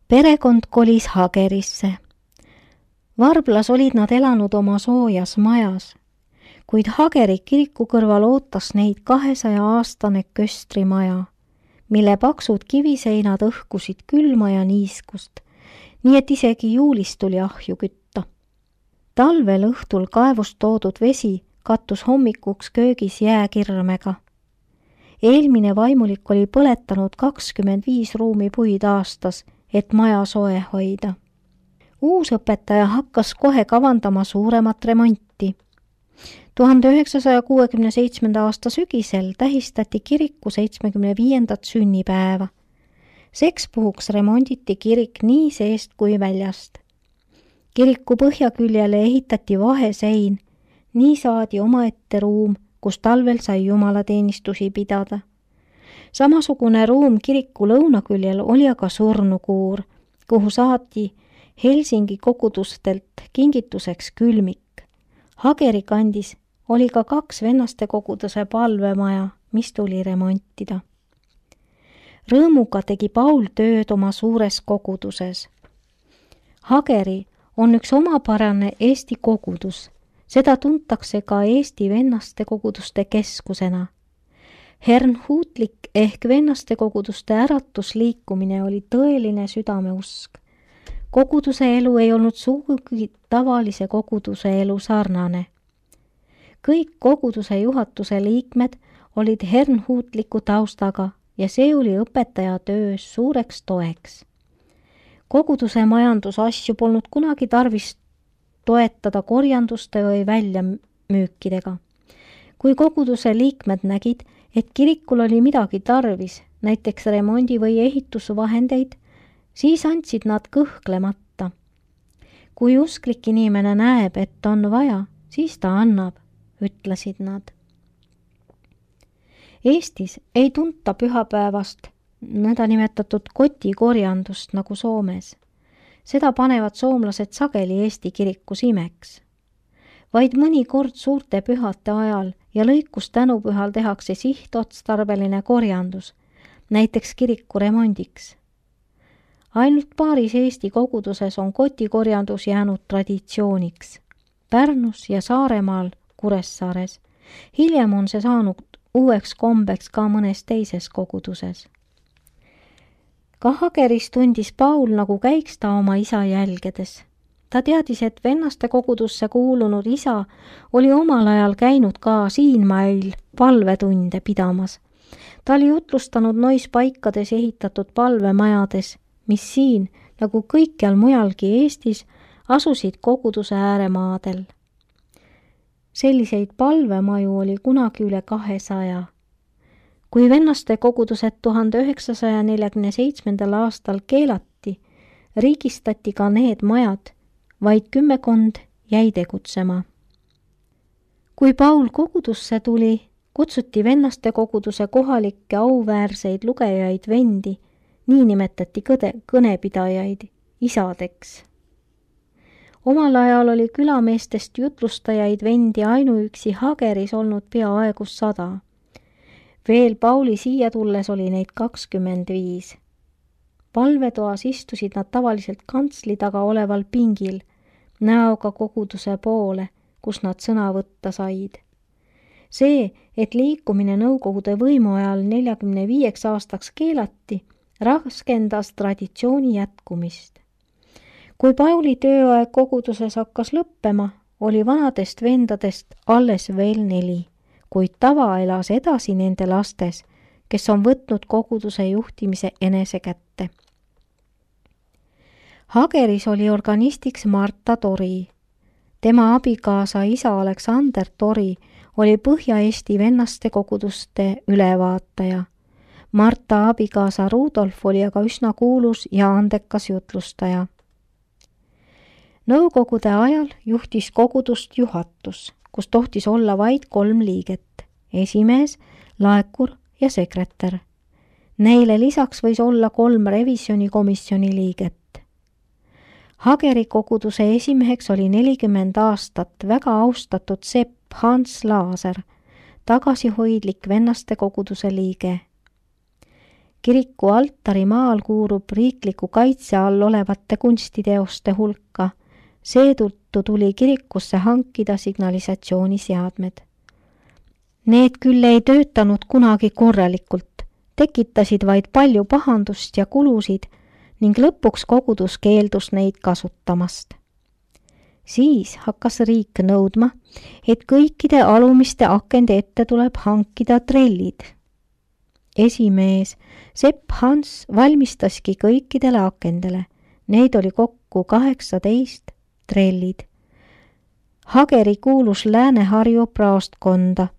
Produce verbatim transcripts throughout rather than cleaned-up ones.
Perekond kolis Hagerisse. Varblas olid nad elanud oma soojas majas, kuid Hageri kiriku kõrval ootas neid kahesaja aastane köstrimaja, mille paksud kiviseinad õhkusid külma ja niiskust, nii et isegi juulis tuli ahju kütta. Talvel õhtul kaevust toodud vesi kattus hommikuks köögis jääkirmega. Eelmine vaimulik oli põletanud kakskümmend viis ruumi puid aastas, et maja soe hoida. Uus õpetaja hakkas kohe kavandama suuremat remonti. tuhande üheksasaja kuuekümne seitsmenda aasta sügisel tähistati kiriku seitsmekümne viiendat sünnipäeva. Seks puhuks remonditi kirik nii seest kui väljast. Kiriku põhjaküljele ehitati vahesein, nii saadi omaette ruum, kus talvel sai jumalateenistusi pidada. Samasugune ruum kiriku lõunaküljel oli aga surnukuur, kuhu saati Helsingi kogudustelt kingituseks külmik. Hageri kandis oli ka kaks vennaste koguduse palvemaja, mis tuli remontida. Rõõmuga tegi Paul tööd oma suures koguduses. Hageri on üks omapärane Eesti kogudus. Seda tuntakse ka Eesti vennaste koguduste keskusena. Hernhutlik ehk vennaste koguduste äratusliikumine oli tõeline südameusk. Koguduse elu ei olnud sugugi tavalise koguduse elu sarnane. Kõik koguduse juhatuse liikmed olid hernhutliku taustaga ja see oli õpetaja töös suureks toeks. Koguduse majandusasju polnud kunagi tarvis toetada korjanduste või väljamüükidega. Kui koguduse liikmed nägid, et kirikul oli midagi tarvis, näiteks remondi- või ehitusvahendeid, siis andsid nad kõhklemata. Kui usklik inimene näeb, et on vaja, siis ta annab, ütlesid nad. Eestis ei tunta pühapäevast nõnda nimetatud kotikorjandust nagu Soomes. Seda panevad soomlased sageli Eesti kirikus imeks. Vaid mõni kord suurte pühate ajal ja lõikus tänupühal tehakse sihtotstarbeline korjandus, näiteks kiriku remondiks. Ainult paaris Eesti koguduses on kotikorjandus jäänud traditsiooniks. Pärnus ja Saaremaal, Kuressaares. Hiljem on see saanud uueks kombeks ka mõnes teises koguduses. Ka Hageris tundis Paul, nagu käiks ta oma isa jälgedes. Ta teadis, et vennaste kogudusse kuulunud isa oli omal ajal käinud ka siinmail palvetunde pidamas. Ta oli jutlustanud nois paikades ehitatud palvemajades, mis siin, nagu kõikjal mujalgi Eestis, asusid koguduse ääremaadel. Selliseid palvemaju oli kunagi üle kahesaja. Kui vennaste kogudused tuhande üheksasaja neljakümne seitsmendal aastal keelati, riigistati ka need majad, vaid kümmekond jäi tegutsema. Kui Paul kogudusse tuli, kutsuti vennaste koguduse kohalikke auväärseid lugejaid vendi, nii nimetati kõde, kõnepidajaid, isadeks. Omal ajal oli külameestest jutlustajaid vendi ainuüksi Hageris olnud peaaegu sada. Veel Pauli siia tulles oli neid kakskümmend viis. Palvetoas istusid nad tavaliselt kantsli taga oleval pingil, näoga koguduse poole, kus nad sõna võtta said. See, et liikumine Nõukogude võimu ajal neljakümne viieks aastaks keelati, raskendas traditsiooni jätkumist. Kui Pauli tööaeg koguduses hakkas lõppema, oli vanadest vendadest alles veel neli, kuid tava elas edasi nende lastes, kes on võtnud koguduse juhtimise enese kätte. Hageris oli organistiks Marta Tori. Tema abikaasa isa Aleksander Tori oli Põhja-Eesti vennaste koguduste ülevaataja. Marta abikaasa Rudolf oli aga üsna kuulus ja andekas jutlustaja. Nõukogude ajal juhtis kogudust juhatus, kus tohtis olla vaid kolm liiget, esimees, laekur ja sekretär. Neile lisaks võis olla kolm revisjonikomisjoni liiget. Hageri koguduse esimeheks oli nelikümmend aastat väga austatud sepp Hans Laaser, tagasihoidlik vennaste koguduse liige. Kiriku altarimaal kuulub riikliku kaitse all olevate kunstiteoste hulka. Seetõttu tuli kirikusse hankida signalisatsiooniseadmed. Need küll ei töötanud kunagi korralikult, tekitasid vaid palju pahandust ja kulusid ning lõpuks kogudus keeldus neid kasutamast. Siis hakkas riik nõudma, et kõikide alumiste akende ette tuleb hankida trellid. Esimees Sepp Hans valmistaski kõikidele akendele. Neid oli kokku kaheksateist trellid. Hageri kuulus Lääne-Harju praostkonda.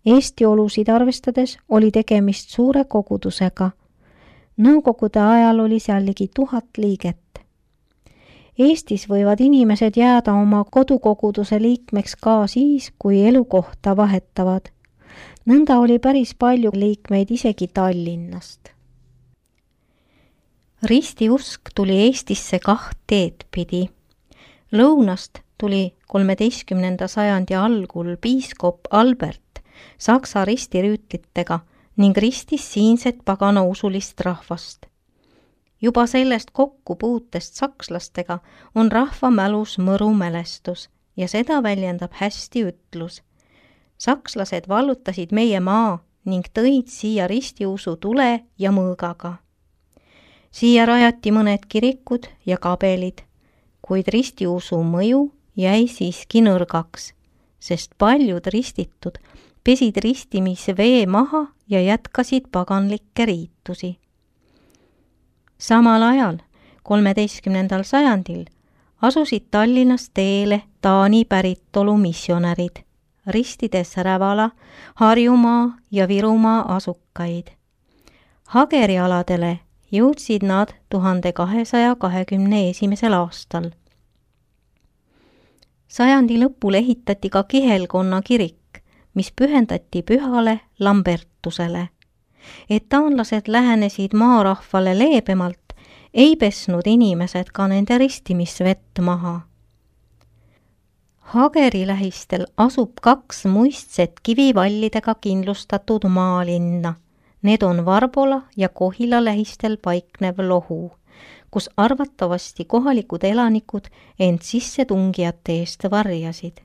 Eesti olusid arvestades oli tegemist suure kogudusega. Nõukogude ajal oli seal ligi tuhat liiget. Eestis võivad inimesed jääda oma kodukoguduse liikmeks ka siis, kui elukohta vahetavad. Nõnda oli päris palju liikmeid isegi Tallinnast. Ristiusk tuli Eestisse kaht teed pidi. Lõunast tuli kolmeteistkümnenda sajandi algul piiskop Albert Saksa ristirüütlitega ning ristis siinset pagana usulist rahvast. Juba sellest kokkupuutest sakslastega on rahva mälus mõru mälestus ja seda väljendab hästi ütlus. Sakslased vallutasid meie maa ning tõid siia ristiusu tule ja mõõgaga. Siia rajati mõned kirikud ja kabelid, kuid ristiusu mõju jäi siiski nõrgaks, sest paljud ristitud pesid ristimise vee maha ja jätkasid paganlikke riitusi. Samal ajal, kolmeteistkümnendal sajandil, asusid Tallinnas teele Taani päritolu missionärid, ristides Rävala, Harjumaa ja Virumaa asukaid. Hageri aladele jõudsid nad tuhande kahesaja kahekümne esimesel aastal. Sajandi lõpul ehitati ka Kihelkonna kirik, mis pühendati pühale Lambertusele. Et taanlased lähenesid maarahvale leebemalt, ei pesnud inimesed ka nende ristimisvett maha. Hageri lähistel asub kaks muistset kivivallidega kindlustatud maalinna. Need on Varbola ja Kohila lähistel paiknev lohu, kus arvatavasti kohalikud elanikud end sissetungijate eest varjasid.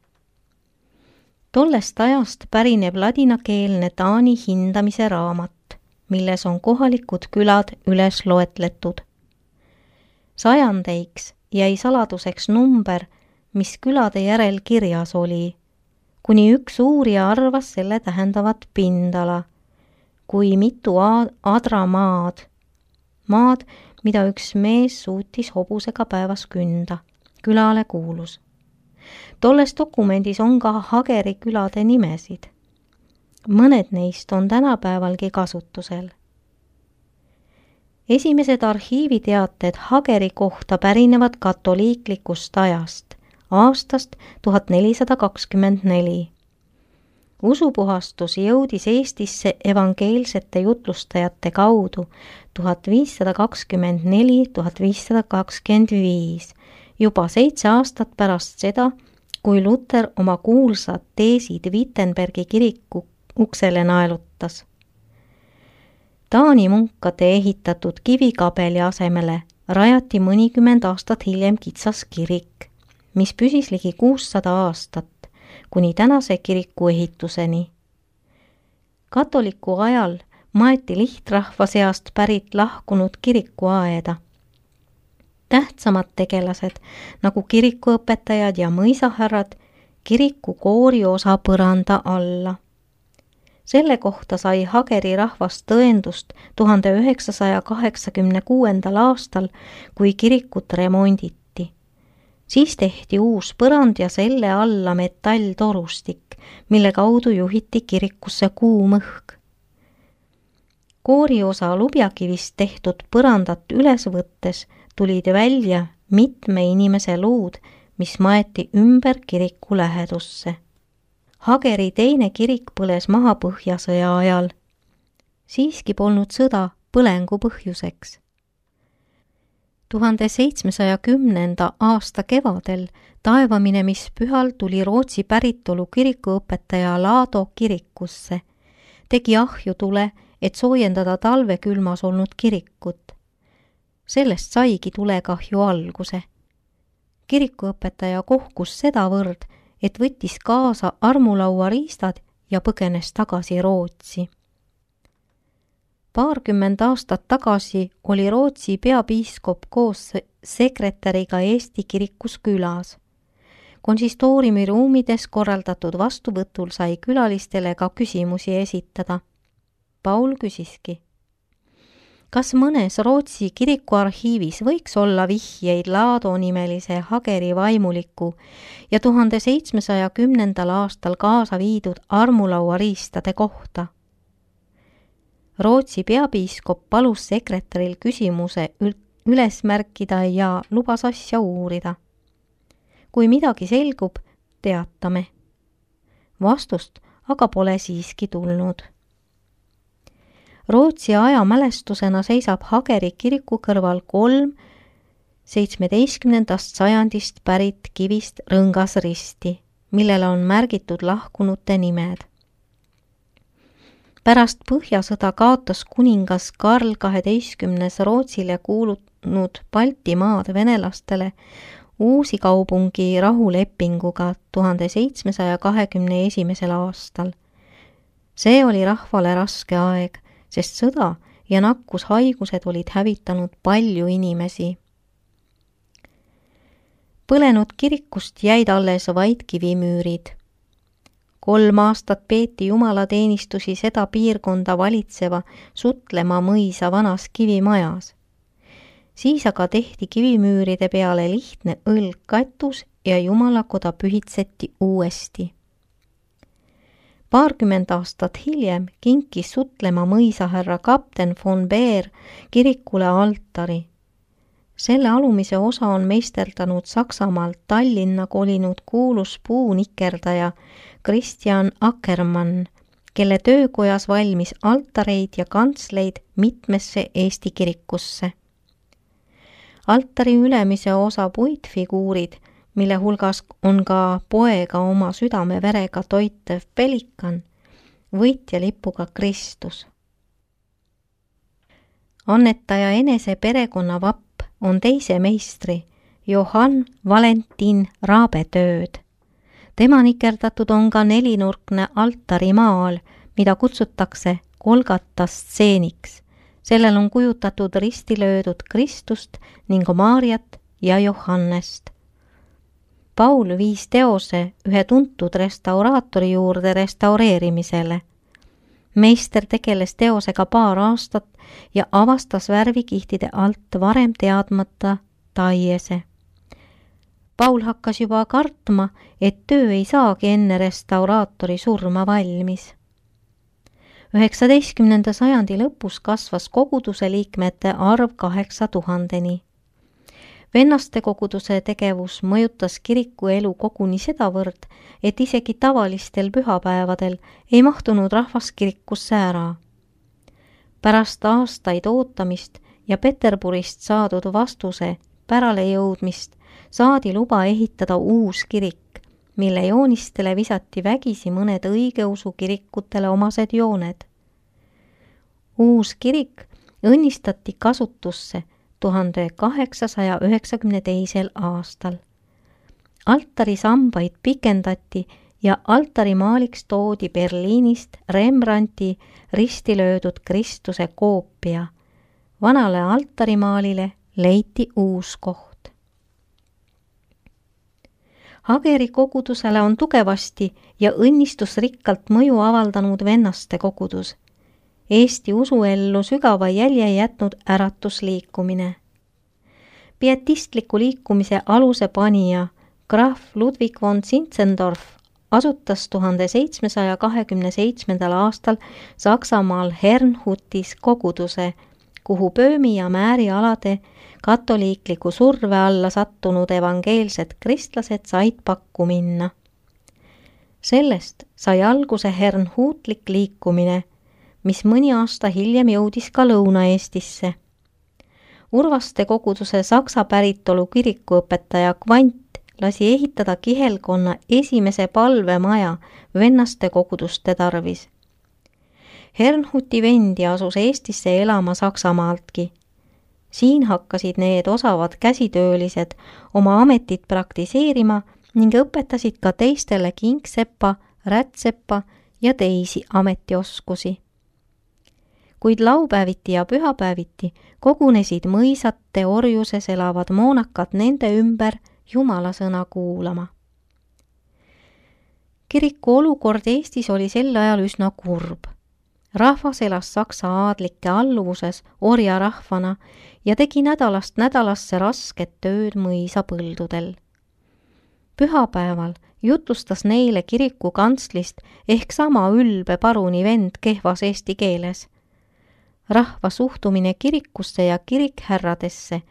Tollest ajast pärineb ladinakeelne Taani hindamise raamat, milles on kohalikud külad üles loetletud. Sajandeiks jäi saladuseks number, mis külade järel kirjas oli, kuni üks uurija arvas selle tähendavat pindala, kui mitu adra maad, maad, mida üks mees suutis hobusega päevas künda, külale kuulus. Tolles dokumendis on ka Hageri külade nimesid. Mõned neist on tänapäevalgi kasutusel. Esimesed arhiiviteated Hageri kohta pärinevad katoliiklikust ajast, aastast tuhat nelisada kakskümmend neli. Usupuhastus jõudis Eestisse evangeelsete jutlustajate kaudu tuhat viissada kakskümmend neli – tuhat viissada kakskümmend viis, juba seitse aastat pärast seda, kui Luter oma kuulsad teesid Wittenbergi kiriku uksele naelutas. Taani munkade ehitatud kivikabeli asemele rajati mõnikümmend aastat hiljem kitsas kirik, mis püsis ligi kuussada aastat, kuni tänase kiriku ehituseni. Katoliku ajal maeti lihtrahva seast pärit lahkunud kirikuaeda. Tähtsamad tegelased, nagu kirikuõpetajad ja mõisahärrad, kiriku kooriosa põranda alla. Selle kohta sai Hageri rahvast tõendust tuhande üheksasaja kaheksakümne kuuendal aastal, kui kirikut remonditi. Siis tehti uus põrand ja selle alla metalltorustik, mille kaudu juhiti kirikusse kuum õhk. Kooriosa lubjakivist tehtud põrandat üles võttes tulid välja mitme inimese luud, mis maeti ümber kiriku lähedusse. Hageri teine kirik põles maha Põhjasõja ajal. Siiski polnud sõda põlengu põhjuseks. tuhande seitsmesaja kümnenda aasta kevadel taevaminemishpühal tuli Rootsi päritolu kirikuõpetaja Laado kirikusse, tegi ahju tule et soojendada talve külmas olnud kirikut. Sellest saigi tulekahju alguse. Kirikuõpetaja kohkus sedavõrd, et võttis kaasa armulaua riistad ja põgenes tagasi Rootsi. Paarkümmend aastat tagasi oli Rootsi peapiiskop koos sekretäriga Eesti kirikus külas. Konsistooriumi ruumides korraldatud vastuvõtul sai külalistele ka küsimusi esitada. Paul küsiski, kas mõnes Rootsi kirikuarhiivis võiks olla vihjeid Laado nimelise Hageri vaimuliku ja tuhande seitsmesaja kümnendal aastal kaasa viidud armulaua riistade kohta? Rootsi peapiiskop palus sekretäril küsimuse üles märkida ja lubas asja uurida. Kui midagi selgub, teatame. Vastust aga pole siiski tulnud. Rootsi ajamälestusena seisab Hageri kiriku kõrval kolm seitsmeteistkümnendast sajandist pärit kivist rõngasristi, millele on märgitud lahkunute nimed. Pärast Põhjasõda kaotas kuningas Karl kaheteistkümnes Rootsile kuulunud Baltimaad venelastele uusi kaupungi rahulepinguga tuhande seitsmesaja kahekümne esimesel aastal. See oli rahvale raske aeg, sest sõda ja nakkushaigused olid hävitanud palju inimesi. Põlenud kirikust jäid alles vaid kivimüürid. Kolm aastat peeti jumalateenistusi seda piirkonda valitseva Sutlema mõisa vanas kivimajas. Siis aga tehti kivimüüride peale lihtne õlgkatus ja jumalakoda pühitseti uuesti. Paarkümmend aastat hiljem kinkis Sutlema mõisahärra kapten von Beer kirikule altari. Selle alumise osa on meisterdanud Saksamaalt Tallinna kolinud kuulus puunikerdaja Christian Ackermann, kelle töökojas valmis altareid ja kantsleid mitmesse Eesti kirikusse. Altari ülemise osa puitfiguurid, mille hulgas on ka poega oma südame verega toitev pelikan, võitja lipuga Kristus. Annetaja enese perekonna vapp on teise meistri, Johann Valentin Raabe tööd. Tema nikerdatud on ka nelinurkne altarimaal, mida kutsutakse Golgata stseeniks. Sellel on kujutatud risti löödud Kristust ning Maarjat ja Johannest. Paul viis teose ühe tuntud restauraatori juurde restaureerimisele. Meister tegeles teosega paar aastat ja avastas värvikihtide alt varem teadmata taiese. Paul hakkas juba kartma, et töö ei saagi enne restauraatori surma valmis. üheksateistkümnenda sajandi lõpus kasvas koguduse liikmete arv kaheksa tuhandeni. Vennaste koguduse tegevus mõjutas kiriku elu koguni sedavõrd, et isegi tavalistel pühapäevadel ei mahtunud rahvas kirikusse ära. Pärast aastaid ootamist ja Peterburist saadud vastuse pärale jõudmist saadi luba ehitada uus kirik, mille joonistele visati vägisi mõned õigeusu kirikutele omased jooned. Uus kirik õnnistati kasutusse tuhande kaheksasaja üheksakümne teisel aastal. Altarisambaid pikendati ja altarimaaliks toodi Berliinist Rembrandti risti löödud Kristuse koopia. Vanale altarimaalile leiti uus koht. Hageri kogudusele on tugevasti ja õnnistusrikkalt mõju avaldanud vennaste kogudus. Eesti usuellu sügava jälje jätnud äratusliikumine. Pietistliku liikumise aluse panija Graf Ludwig von Zinzendorf asutas tuhande seitsmesaja kahekümne seitsmendal aastal Saksamaal Herrnhutis koguduse, kuhu Böömi ja Määri alade katoliikliku surve alla sattunud evangeelsed kristlased said pakku minna. Sellest sai alguse Herrnhutlik liikumine, mis mõni aasta hiljem jõudis ka Lõuna-Eestisse. Urvaste koguduse saksa päritolu kirikuõpetaja Kvant lasi ehitada kihelkonna esimese palvemaja vennaste koguduste tarvis. Hernhuti vendi asus Eestisse elama Saksamaaltki. Siin hakkasid need osavad käsitöölised oma ametit praktiseerima ning õpetasid ka teistele kingsepa, rätsepa ja teisi ametioskusi. Kuid laupäeviti ja pühapäeviti kogunesid mõisate orjuses elavad moonakad nende ümber Jumala sõna kuulama. Kiriku olukord Eestis oli sel ajal üsna kurb. Rahvas elas Saksa aadlike alluvuses orjarahvana ja tegi nädalast nädalasse rasket tööd mõisapõldudel. Pühapäeval jutlustas neile kiriku kantslist ehk sama ülbe paruni vend kehvas eesti keeles. Rahva suhtumine kirikusse ja kirikhärradesse,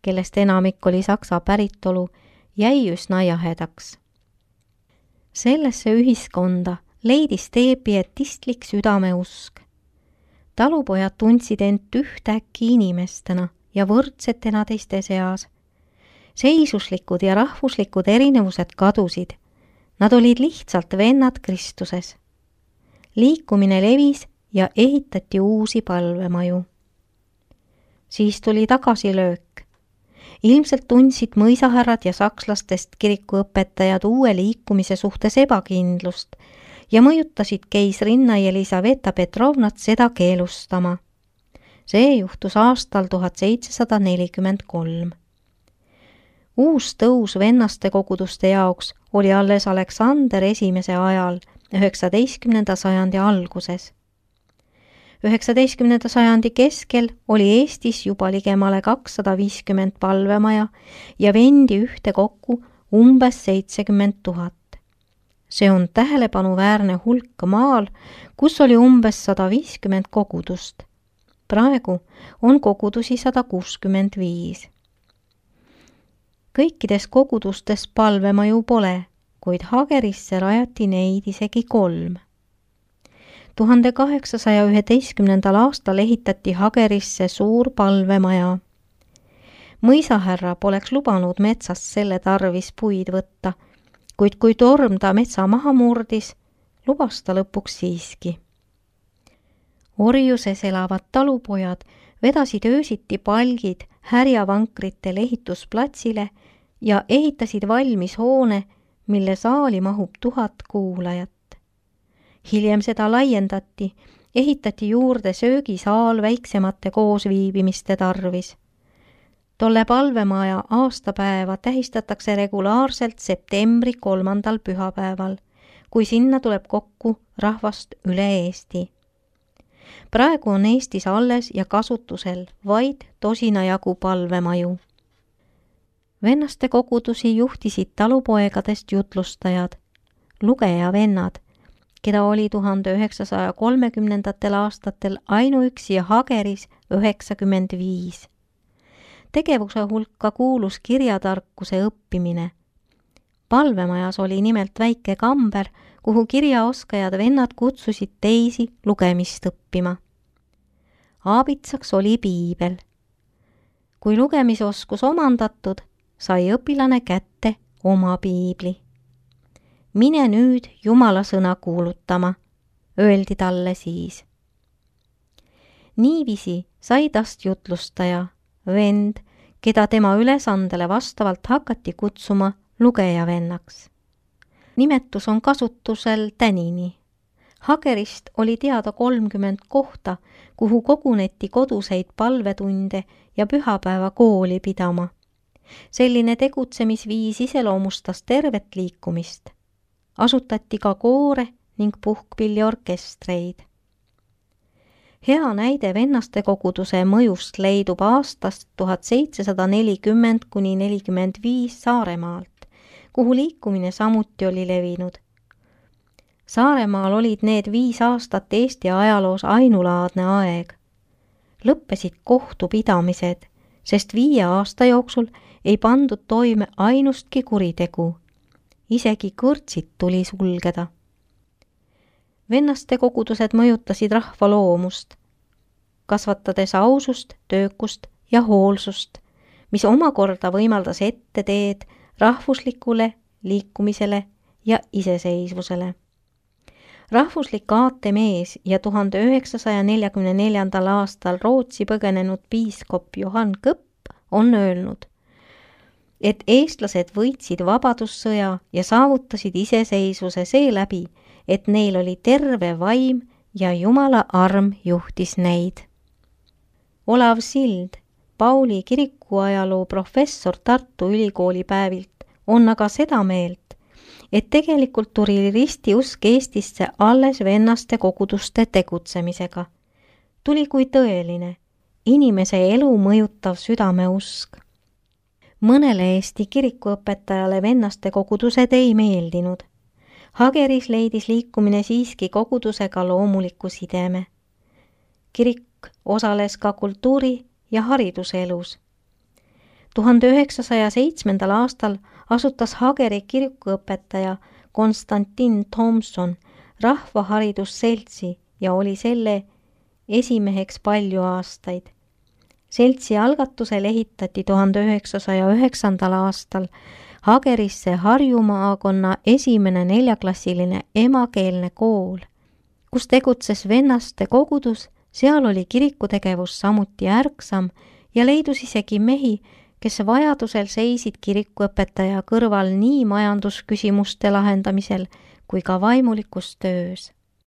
kellest enamik oli saksa päritolu, jäi üsna jahedaks. Sellesse ühiskonda leidis tee pietistlik südameusk. Talupojad tundsid end ühtäkki inimestena ja võrdsetena teiste seas. Seisuslikud ja rahvuslikud erinevused kadusid. Nad olid lihtsalt vennad Kristuses. Liikumine levis ja ehitati uusi palvemaju. Siis tuli tagasilöök. Ilmselt tundsid mõisahärrad ja sakslastest kirikuõpetajad uue liikumise suhtes ebakindlust ja mõjutasid keisrinna Elisaveta Petrovnat seda keelustama. See juhtus aastal tuhat seitsesada nelikümmend kolm. Uus tõus vennaste koguduste jaoks oli alles Aleksander esimese ajal, üheksateistkümnenda sajandi alguses. üheksateistkümnenda sajandi keskel oli Eestis juba ligemale kakssada viiskümmend palvemaja ja vendi ühte kokku umbes seitsekümmend tuhat. See on tähelepanuväärne hulk maal, kus oli umbes sada viiskümmend kogudust. Praegu on kogudusi sada kuuskümmend viis. Kõikides kogudustes palvemaju pole, kuid Hagerisse rajati neid isegi kolm. tuhande kaheksasaja üheteistkümnendal aastal ehitati Hagerisse suur palvemaja. Mõisahärra poleks lubanud metsast selle tarvis puid võtta, kuid kui torm ta metsa maha murdis, lubas ta lõpuks siiski. Orjuses elavad talupojad vedasid öösiti palgid härjavankritel ehitusplatsile ja ehitasid valmis hoone, mille saali mahub tuhat kuulajat. Hiljem seda laiendati, ehitati juurde söögisaal väiksemate koosviibimiste tarvis. Tolle palvemaja aastapäeva tähistatakse regulaarselt septembri kolmandal pühapäeval, kui sinna tuleb kokku rahvast üle Eesti. Praegu on Eestis alles ja kasutusel vaid tosina jagu palvemaju. Vennaste kogudusi juhtisid talupoegadest jutlustajad, lugejavennad, keda oli tuhande üheksasaja kolmekümnendatel aastatel ainuüksi Hageris üheksakümmend viis. Tegevuse hulka kuulus kirjatarkuse õppimine. Palvemajas oli nimelt väike kamber, kuhu kirjaoskajad vennad kutsusid teisi lugemist õppima. Aabitsaks oli piibel. Kui lugemisoskus omandatud, sai õpilane kätte oma piibli. Mine nüüd Jumala sõna kuulutama, öeldi talle siis. Niiviisi sai tast jutlustaja, vend, keda tema ülesandele vastavalt hakati kutsuma lugejavennaks. Nimetus on kasutusel tänini. Hagerist oli teada kolmkümmend kohta, kuhu koguneti koduseid palvetunde ja pühapäeva kooli pidama. Selline tegutsemisviis iseloomustas tervet liikumist. Asutati ka koore ning puhkpilliorkestreid. Hea näide vennaste koguduse mõjust leidub aastast tuhat seitsesada nelikümmend kuni nelikümmend viis Saaremaalt, kuhu liikumine samuti oli levinud. Saaremaal olid need viis aastat Eesti ajaloos ainulaadne aeg. Lõppesid kohtupidamised, sest viie aasta jooksul ei pandud toime ainustki kuritegu. Isegi kõrtsid tuli sulgeda. Vennaste kogudused mõjutasid rahva loomust, kasvatades ausust, töökust ja hoolsust, mis omakorda võimaldas ette teed rahvuslikule liikumisele ja iseseisvusele. rahvuslik aatemees ja tuhande üheksasaja neljakümne neljandal aastal Rootsi põgenenud piiskop Johann Kõpp on öelnud, et eestlased võitsid vabadussõja ja saavutasid iseseisvuse seeläbi, et neil oli terve vaim ja Jumala arm juhtis neid. Olav Sild, Pauli kirikuajaloo professor Tartu Ülikooli päevilt, on aga seda meelt, et tegelikult tuli ristiusk Eestisse alles vennaste koguduste tegutsemisega. Tuli kui tõeline, inimese elu mõjutav südameusk. Mõnele Eesti kirikuõpetajale vennaste kogudused ei meeldinud. Hageris leidis liikumine siiski kogudusega loomuliku sideme. Kirik osales ka kultuuri- ja hariduselus. tuhande üheksasaja seitsmendal aastal asutas Hageri kirikuõpetaja Konstantin Thomson rahvaharidusseltsi ja oli selle esimeheks palju aastaid. Seltsi algatusel ehitati tuhande üheksasaja üheksandal aastal Hagerisse Harju maakonna esimene neljaklassiline emakeelne kool, kus tegutses vennaste kogudus, seal oli kirikutegevus samuti ärksam ja leidus isegi mehi, kes vajadusel seisid kirikuõpetaja kõrval nii majandusküsimuste lahendamisel kui ka vaimulikus töös.